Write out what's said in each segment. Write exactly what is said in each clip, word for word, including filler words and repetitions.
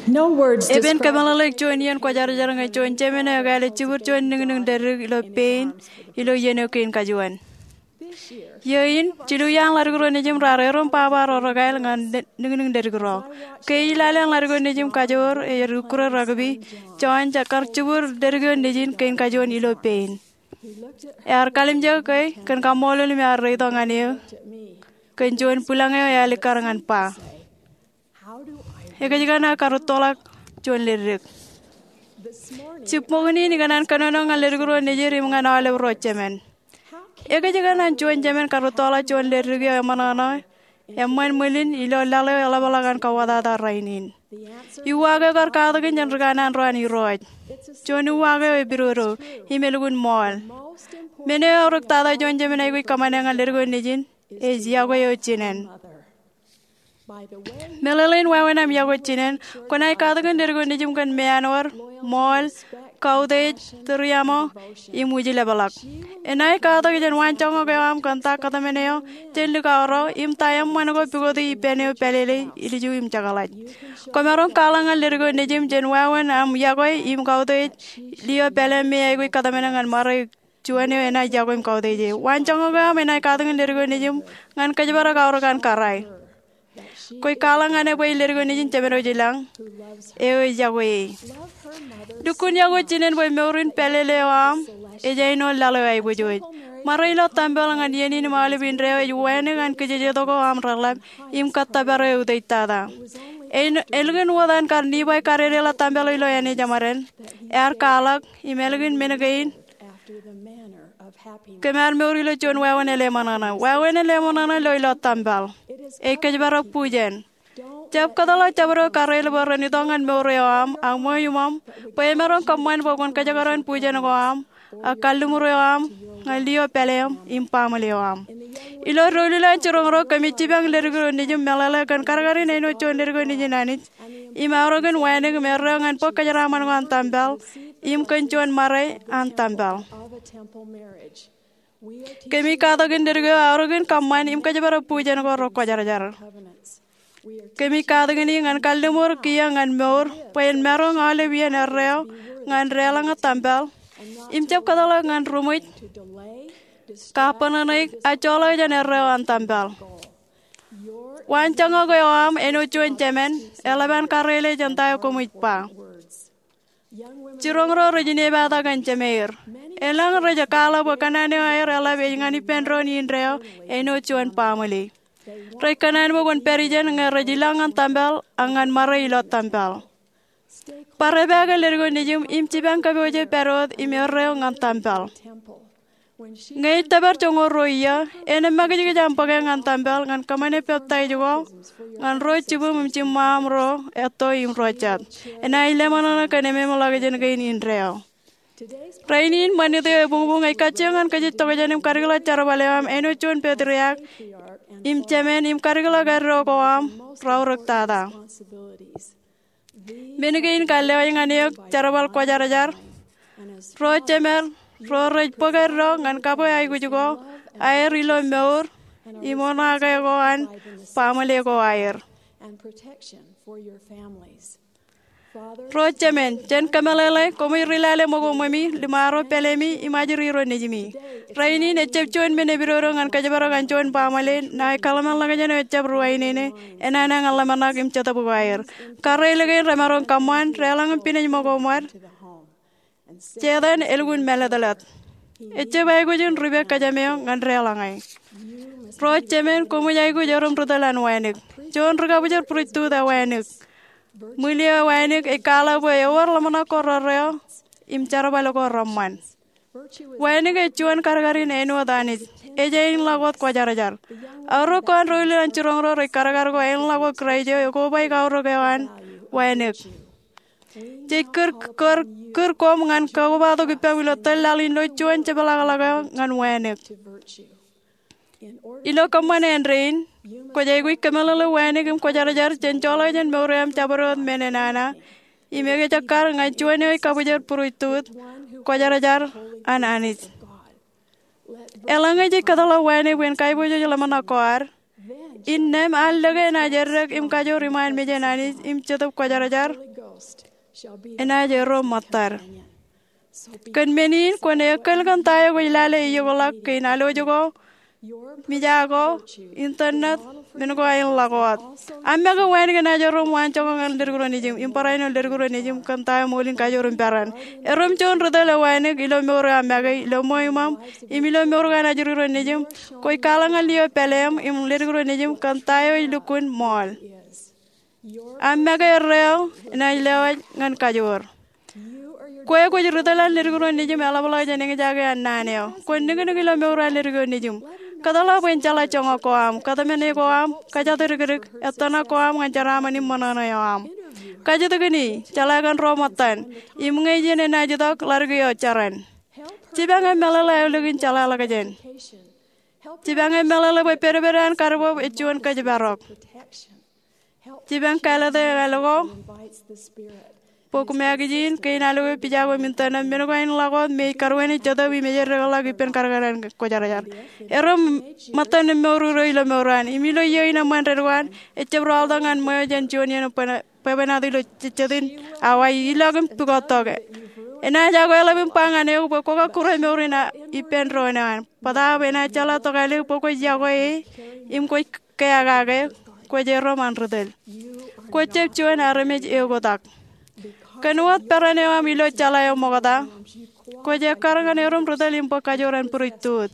Epen kōmeḷeḷeik juon iien kwōjarjar ñe juon jemān eo ekāāle jibwid juon niñniñ dedik ilo pein ilo iien eo kein kajuon. Iiō in, jilu iaan ḷadik ro nejim raar erom baba ro rekāāl ñan niñniñ dedik ro. Ke ij lale an ḷadik eo nejim kajoor ej ri-ukkure rugby, John, ej kar jibwid dedik eo nejin kein kajuon ilo pein. Ear kalimjek ke kōn kaṃṃoolol im ear reito ñan eō kōn juon bwilōñ eo ear likkar ñan ba, ekōjkan aō karūttoḷọk juon ledik. Jibboñōn in ikōṇaan kōnono ñan ḷadik ro nejid im ñan aolep ro jemān. Ekōjkan an juon jemān karūttoḷọk juon ledik eo eṃōṇōṇō eṃṃan ṃwilin ilo laḷ eo eḷapḷọk an kauwōtata rainin? Uwaak eo kar katakin jān ri kanaan ro an Irooj. Juon uwaak eo epidodo im elukkuun ṃool. Men eo eaorōk tata juon jemān aikuj kōṃṃane ñan ḷadik eo nejin ej yokwe eo jinen. Meḷeḷein wāween aṃ yokwe jinen, kwōnaaj katakin ḷadik eo nejim kōn meanwōd, ṃool, kautiej, tūriaṃo, im ujlepḷọk. Enaaj katak jān waanjoñak eo aṃ kōn ta kōtmān eo jān likao ro im ta eṃṃan ko pukoti ippān eo pālele, ilju im jekḷaj. Kwōmaroñ kwaḷọk ñan ḷadik eo nejim jān wāween aṃ yokwe im kautiej, lio pālele me aikuj kōtmāne ñan ṃare juon eo enaaj yokwe im kautiej e. Waanjoñak eo aṃ enaaj katakin ḷadik eo nejim ñan kōjparok aorōk an kōrā. Kwōj kwaḷọk ñan e bwe ej ḷadik eo nejin Jemān eo ej ilañ eo ej yokwe e. Lukkuun yokwe jinen bwe mour in pālele eo aṃ ej āinwōt laḷ eo aiboojoj. Ṃare ilo tempel ñan iien in im aolep indeeo ej wānōk an kijejetok eo aṃ reḷap im kōttōpar eo eutiej tata. Elukkuun wōt an kar Nifai kadedeḷọk tempel ilo āne jeṃaden, ear kwaḷọk, im elukkuun men kein kōm ar mour ilo juon wāween eḷeṃōṇōṇō. Wāween eḷeṃōṇōṇō lo ilo tempel. Ej kōjparok bujen. Jab kōtḷọk jabdewōt karreoḷ bwe ren itok ñan mour eo aṃ ak ṃweo iṃōṃ bwe emaroñ kōṃṃan bwe kwōn kōjekdọọn bujen ko aṃ ak kalliṃur eo aṃ ñan lio pāleeṃ im baaṃle eo aṃ. Ilo doulul an jiroñ ro kōmij jipañ ḷadik eo nejin meḷeḷe kōn kadkadin āinwōt juon ḷadik eo nejin Anij im aorōkin wānōk im erreo ñan bōk kōjeraaṃṃan ko an tempel im kōn juon ṃare an tempel. Kōmij katakin ḷadik eo aorōkin kōṃṃan im kōjparok bujen ko rekwōjarjar. Kōmij katakin e ñan kalliṃur kiiō ñan mour bwe en maroñ aolep iien erreo ñan deḷọñe tempel im jab kōtḷọk ñan ruṃwij, kapenene, ak joḷọk jān erreo an tempel. Waanjoñak eo aṃ āinwōt juon jemān eḷap an karreoḷe jān ta eo koṃij ba. Jiroñ ro rej inepata kōn jemeir. Elōñ rej kwaḷọk bwe kōṇaan eo aer eḷap ej ñan ippān doon indeeo āinwōt juon baaṃle. Rej kōṇaan bwe kwōn pād ijeṇ ñe rej ilañ ñan tempel ak ñan ṃare ilo tempel. Bar epaake ḷadik eo nejim im jipañ kōpooje pād wōt im erreo ñan tempel. Ñe ej tōpar joñoul ruo iiō, en emakijkij aṃ bōke ñan tempel ñan kōṃṃane peptaij ko ñan ro jibwim im jiṃṃaṃ ro etto im ro jet. Enaaj leṃōṇōṇō kōn ememḷọkjeṇ kein indeeo. Rainin ṃanit eo ebuñbuñ ej kajjioñ ñan kōjjitokjān im kadikḷọk jerbal eo aṃ āinwōt juon petriak im jemān im kadikḷọk eddo ko aṃ raorōk tata. Men kein kar lewōj ñan eok jerbal kwōjarjar. Ro jemād ro rej bōk eddo ñan kabwe aikuj ko aer ilo mour im oṇaake ko an baaṃle ko aer. Ro jemān, jān kōmeḷeḷe, koṃij ri lale ṃōko ṃwemi, liṃaro pālemi, im ajri ro nejimi. Rainin ejjab juon men epidodo ñan kōjparok an juon baaṃle ṇae kōḷmānḷọkjeṇ eo ejjab ruwainene, enana ñan ḷōmṇak im jetōb ko aer. Karreoḷ kein remaroñ kōṃṃan, deḷọñ im pinej ṃōko ṃōd. Setan elukkuun mālōtlōt. Ejjab aikuj in ripe kōjām eo ñan deḷọñe. Ro jemān, koṃij aikuj erom ri tōl an wānōk. Juon rikabwijed būrijtut ewānōk. Ṃwil eo ewānōk ej kwaḷọk bwe ewōr ḷōmṇak ko rerreo im jerbal ko reṃṃan. Wānōk ej juon kadkadin āinwōt Anij. Ej āinḷọk wōt kwōjarjar. Aorōk ko an doulul an jiroñ ro rej kadkad ko āinḷọk wōt Kraist eo ekobaik aorōk eo an wānōk. Jej kūr, kūr, kūr koṃ ñan kakobatok ippaṃ ilo tōl laḷ in ilo juon jepḷaakḷọk eo ñan wānōk. Ilo kōṃṃan āindein, kwōj aikuj kōmeḷeḷe wānōk im kwōjarjar jān joḷọk jān mour eo aṃ jabdewōt men enana im ekejekkar ñan juon eo ej kabwijed būrijtut, kwōjarjar an Anij. Eḷaññe jej kōtḷọk wānōk bwe en kaiboojoj ḷōmṇak ko ad, Innām ear lōke enaaj eddek im kajoor iṃaan mejān Anij im Jetōb Kwōjarjar, enaaj erro ṃōttad. Kōn men in kwōn ekkal kōn ta eo kwōj lale eokḷọk kein alwōj ko, mejā ko, internet, men ko aer ḷak wōt. Aṃ make wānōk enaaj erro ṃōttan joñak ñan leddik ro nejūṃ im barāinwōt leddik ro nejūṃ kōn ta eo ṃool in kajoor im peran. Erro im juon ri tōl eo wānōk ilo mour eo aṃ make, ilo ṃweo iṃōṃ, im ilo mour ko an ajri ro nejūṃ. Kwōj kwaḷọk ñan lio pāleeṃ im leddik ro nejūṃ kōn ta eo ej lukkuun ṃool. Aṃ make erreo enaaj lewōj ñan kajoor. Kwe kwōj ri tōl an leddik ro nejūṃ eḷapḷọk jān eñjake an naan eo. Kwōn niknik ilo mour an leddik ro nejūṃ. Kōtḷọk bwe en jeḷā joñak ko aṃ, kōtmāne ko aṃ, kōjatdikdik, ettōṇak ko aṃ ñan jeraaṃṃan im ṃōṇōṇō eo aṃ. Kajjitōkin, jeḷā kōn ro ṃōttan, im ñe ijin enaaj itok, ḷaddik eo jeran. Jipañ im meḷeḷe aolep in jeḷāḷọkjeṇ. Jipañ im meḷeḷe bwe pedped an kadbweb ej juon kōjparok. Jipañ kāālōt eo ālikin bok magazine, kein alwōj, pija ko im internet, men ko aer ḷak wōt me ej kōrā wāween Jetōb im ej eddekḷọk ippān kadkad an kwōjarjar. Erro ṃōttan im mour ro ilo mour eo an, im ilo iiō in eṃṃan dedik eo an, ejjab rọọltok ñan ṃweo jān juon iien bwebwenato ilo jejjet in awa, ilọk im pukot tok. Enaaj akweḷap im ba ñan eok bwe kwō kakkure mour in ippān doon eo an. Bōtaab enaaj jeḷā tokālik bwe kwōj yokwe e im kwōj keakake, kwōj erro ṃaan ri tōl. Kwōj jab juon armej eoktak. Kōn wōt peran eo aṃ ilo jeḷā eo ṃokta, kwōj ekkar ñan erro im ri tōl im bōk kajoor an priesthood.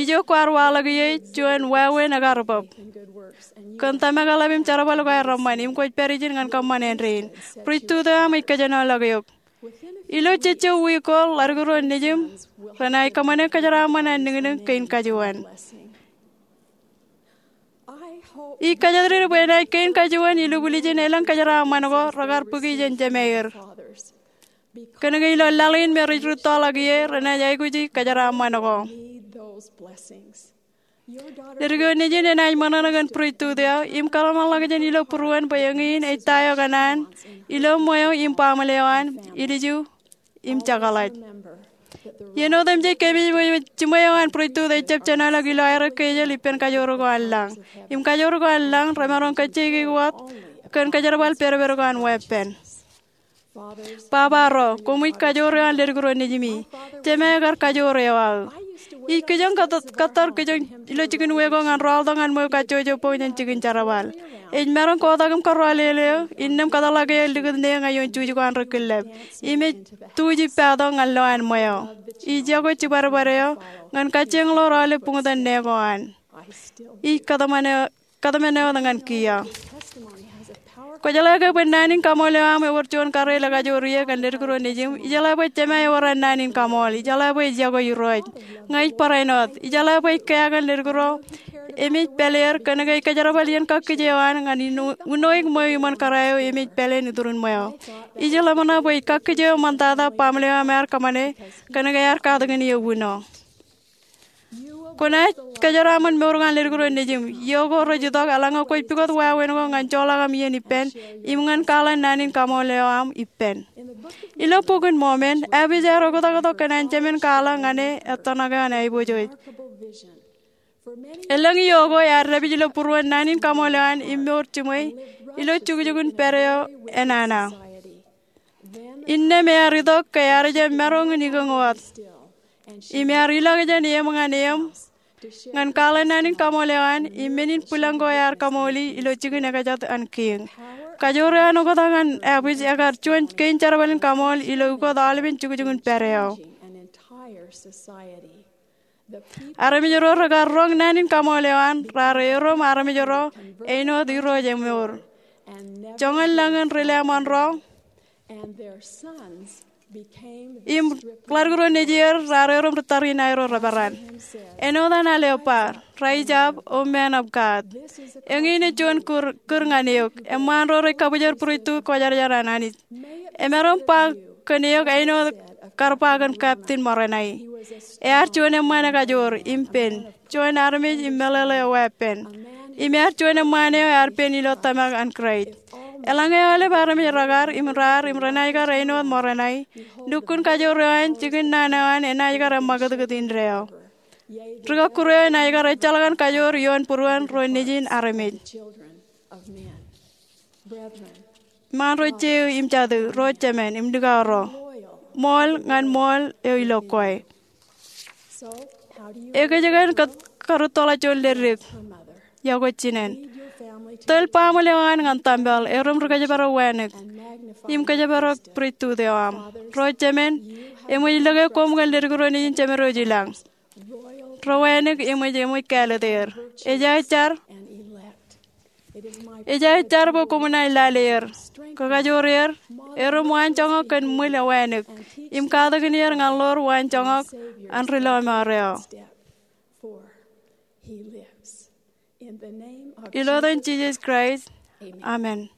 Ijo kwaar waḷọk ie juon wāween ekar bōb. Kōn tōmak eḷap im jerbal ko aer eṃṃan, im kwōj pād ijin ñan kōṃṃan āindein. Priesthood eo aṃ ej kōjenolọk eok. Ilo jejjo wiik ko, ḷaddik ro nejūṃ renaaj kōṃṃane kōjeraaṃṃan an niknik kein kajuon. Ij kōjatdikdik bwe enaaj kein kajuon ilukkuun ijin elōñ kōjeraaṃṃan ko rekar bōki jān jemāer. Kōnke ilo laḷ in me rej rūttoḷọk ie, renaaj aikuji kōjeraaṃṃan ko. Leddik ro nejin enaaj ṃōṇōṇō kōn priesthood eo, im kōḷmānḷọkjeṇ ilo būruon bwe eñin ej ta eo kōṇaan ilo ṃweo im baaṃle eo an, ilju, im jekḷaj. Iien otemjej kōmij bwe jiṃwe eo an priesthood ejjab jenoḷọk ilo aerro kejel ippān kajoor ko an lañ. Im kajoor ko an lañ remaroñ kajjioñ wōt kōn kōjerbal pedped ko an weeppān. Baba ro, koṃij kajoor eo an leddik ro nejimi. Jemāe ekar kajoor eo aō. Ij kijoñ kōttar kijoñ ilo jikin weko ñan rọọltok ñan ṃweo kajjojo bok jān jikin jerbal. Ej maroñ kotak im kōrọọl eo, innām kōtḷọk eo likūt ne ñan ioon juj ko an ri killep. Im ej tuuj ippato ñan lowaan ṃweo. Ij yokwe jibadbad eo ñan kajjioñ ḷoor aolep buñtōn ne ko an. Ij kōtmāne wōt ñan kiiō. Kwōjeḷā ke bwe naan in kaṃool eo aṃ ewōr juon kōrā eo ekajoor ie kōn leddik ro nejūṃ? Ijeḷā bwe Jemāe ewōr an naan in kaṃool. Ijeḷā bwe ej yokwe Irooj. Ña ij barāinwōt. Ijeḷā bwe ej kea kōn leddik ro. Im ej pāleer kōnke ej kōjerbal iien kakkije eo an ñan unoik ṃweo iṃōn kōrā eo im ej pāleen iturin ṃweo. Ij ḷōmṇak bwe ej kakkije eo ṃoktata baaṃle eo aṃ ear kōṃṃane kōnke ear katakin eō uno. Kwōnaaj kōjeraaṃṃan mour ko an leddik ro nejūṃ. Iiō ko rej itok eḷaññe kwōj pukot wāween ko ñan joḷọk aṃ iien ippān im ñan kwaḷọk naan in kaṃool eo aṃ ippān. Ilo Bok in Mormon, Abij ear oktak tok kōn an jemān kwaḷọk ñan e ettōṇak eo an aiboojoj. Elōñ iiō ko ear dāpij ilo būruon naan in kaṃool eo an im mour jiṃwe ilo jukjukun pād eo enana. Innām ear itok ke ear jab maroñ in ikōñ wōt. Im ear ilọk jān eṃ ñan eṃ ñan kwaḷọk naan in kaṃool eo an im men in bwilōñ ko ear kaṃooli ilo jikin ekjat an kiiñ. Kajoor eo an oktak an Abij ekar juon kein jerbal in kaṃool ilo ukot aolepen jukjukun pād eo. Armej ro rekar roñ naan in kaṃool eo an raar erom armej ro āinwōt Irooj emour. Joñan lañ in ri-lāṃōn ro im ḷaddik ro nejier raar erom ri tariṇae ro reperan. Āinwōt an al eo ba, Rise up, O man of God. Eñin ej juon kūr, kūr ñan eok. Eṃṃaan ro rej kabwijer būreitū kwōjarjar an Anij. Emaroñ ba kōn eok āinwōt kar ba kōn Captain Moroni. Ear juon eṃṃaan ekajoor im pen, juon armej im meḷeḷe eo weeppān. Im ear juon eṃṃaan eo ear pen ilo tōmak an Kraist. Eḷaññe aolep armej rekar im raar im renaaj kar āinwōt Moroni, lukkuun kajoor eo an, jikin naan eo an enaaj kar eṃṃakūtkūt indeeo. Ri kọkkure eo enaaj kar ejjeḷọk an kajoor ioon būruon ro nejin armej. Iṃaan ro jeiū im jatū, ro jemān im likao ro, ṃool ñan ṃool eo ilo kwe. Ekōjkan kōttoḷọk juon ledik? Iọkwe jinen. Tōl baaṃle eo an ñan tempel, erom ri kōjparok wānōk, im kōjparok pristut eo aṃ. Ro jemān, eṃōj lōke koṃ kōn ledik ro nejin Jemedwōj ilañ. Ro wānōk eṃōj, eṃōj kāālōt er. Ej aō jar, ej aō jar bwe koṃ naaj lale er, kakajoor er, erom waanjoñak kōn ṃwil eo wānōk, im katakin er ñan ḷoor waanjoñak an ri lọmọọr eo. Ilo etan Jisōs Kraist, amen.